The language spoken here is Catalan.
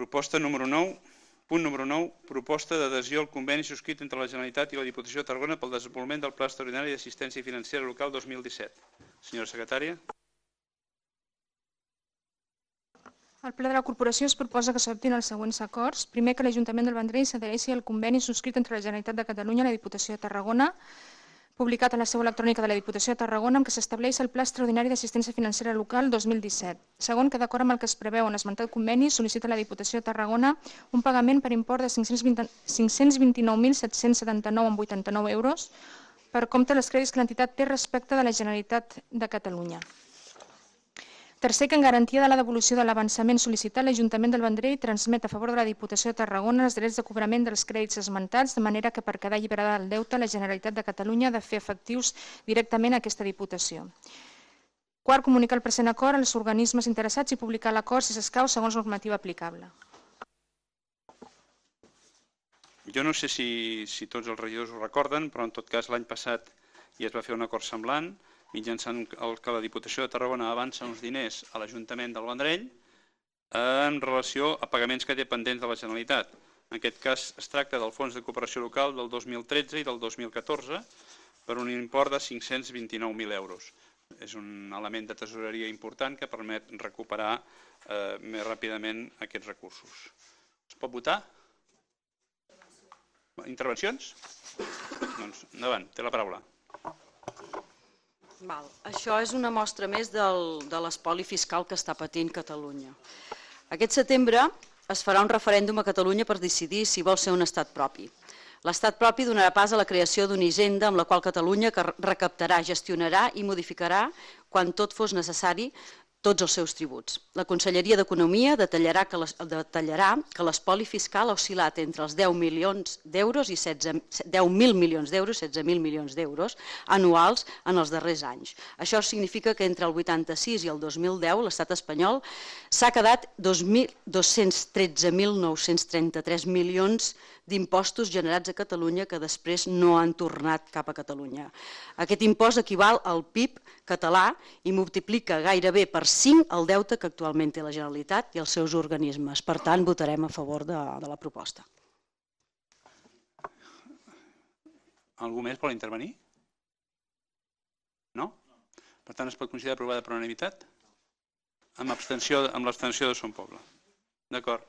Proposta número 9, punt número 9, proposta d'adhesió al conveni subscrit entre la Generalitat i la Diputació de Tarragona pel desenvolupament del Pla Extraordinari d'Assistència Financera Local 2017. Senyora secretària. Al ple de la corporació es proposa que s'adoptin els següents acords. Primer, que l'Ajuntament del Vendrell s'adhereixi al conveni subscrit entre la Generalitat de Catalunya i la Diputació de Tarragona, publicat en la seu electrònica de la Diputació de Tarragona, amb què s'estableix el Pla Extraordinari d'Assistència Financera Local 2017. Segon, que d'acord amb el que es preveu en l'esmentat conveni, sol·licita a la Diputació de Tarragona un pagament per import de 529.779,89 euros per compte dels crèdits que l'entitat té respecte de la Generalitat de Catalunya. Tercer, que en garantia de la devolució de l'avançament sol·licitat, l'Ajuntament del Vendrell transmet a favor de la Diputació de Tarragona els drets de cobrament dels crèdits esmentats, de manera que per quedar alliberada del deute, la Generalitat de Catalunya ha de fer efectius directament a aquesta Diputació. Quart, comunicar el present acord als organismes interessats i publicar l'acord, si s'escau, segons normativa aplicable. Jo no sé si tots els regidors ho recorden, però en tot cas l'any passat ja es va fer un acord semblant, mitjançant el que la Diputació de Tarragona avança uns diners a l'Ajuntament del Vendrell en relació a pagaments que té pendents de la Generalitat. En aquest cas es tracta del Fons de Cooperació Local del 2013 i del 2014 per un import de 529.000 euros. És un element de tesoreria important que permet recuperar més ràpidament aquests recursos. Es pot votar? Intervencions? Doncs endavant, té la paraula. Això és una mostra més de l'espoli fiscal que està patint Catalunya. Aquest setembre es farà un referèndum a Catalunya per decidir si vol ser un estat propi. L'estat propi donarà pas a la creació d'una hisenda amb la qual Catalunya recaptarà, gestionarà i modificarà, quan tot fos necessari, tots els seus tributs. La Conselleria d'Economia detallarà que l'espoli fiscal ha oscil·lat entre els 10.000 milions d'euros i 16.000 milions d'euros anuals en els darrers anys. Això significa que entre el 86 i el 2010 l'estat espanyol s'ha quedat 213.933 milions d'impostos generats a Catalunya que després no han tornat cap a Catalunya. Aquest impost equival al PIB català i multiplica gairebé per 5 el deute que actualment té la Generalitat i els seus organismes. Per tant, votarem a favor de la proposta. Algú més vol intervenir? No? Per tant, es pot considerar aprovada per unanimitat? Amb l'abstenció de Son Poble. D'acord.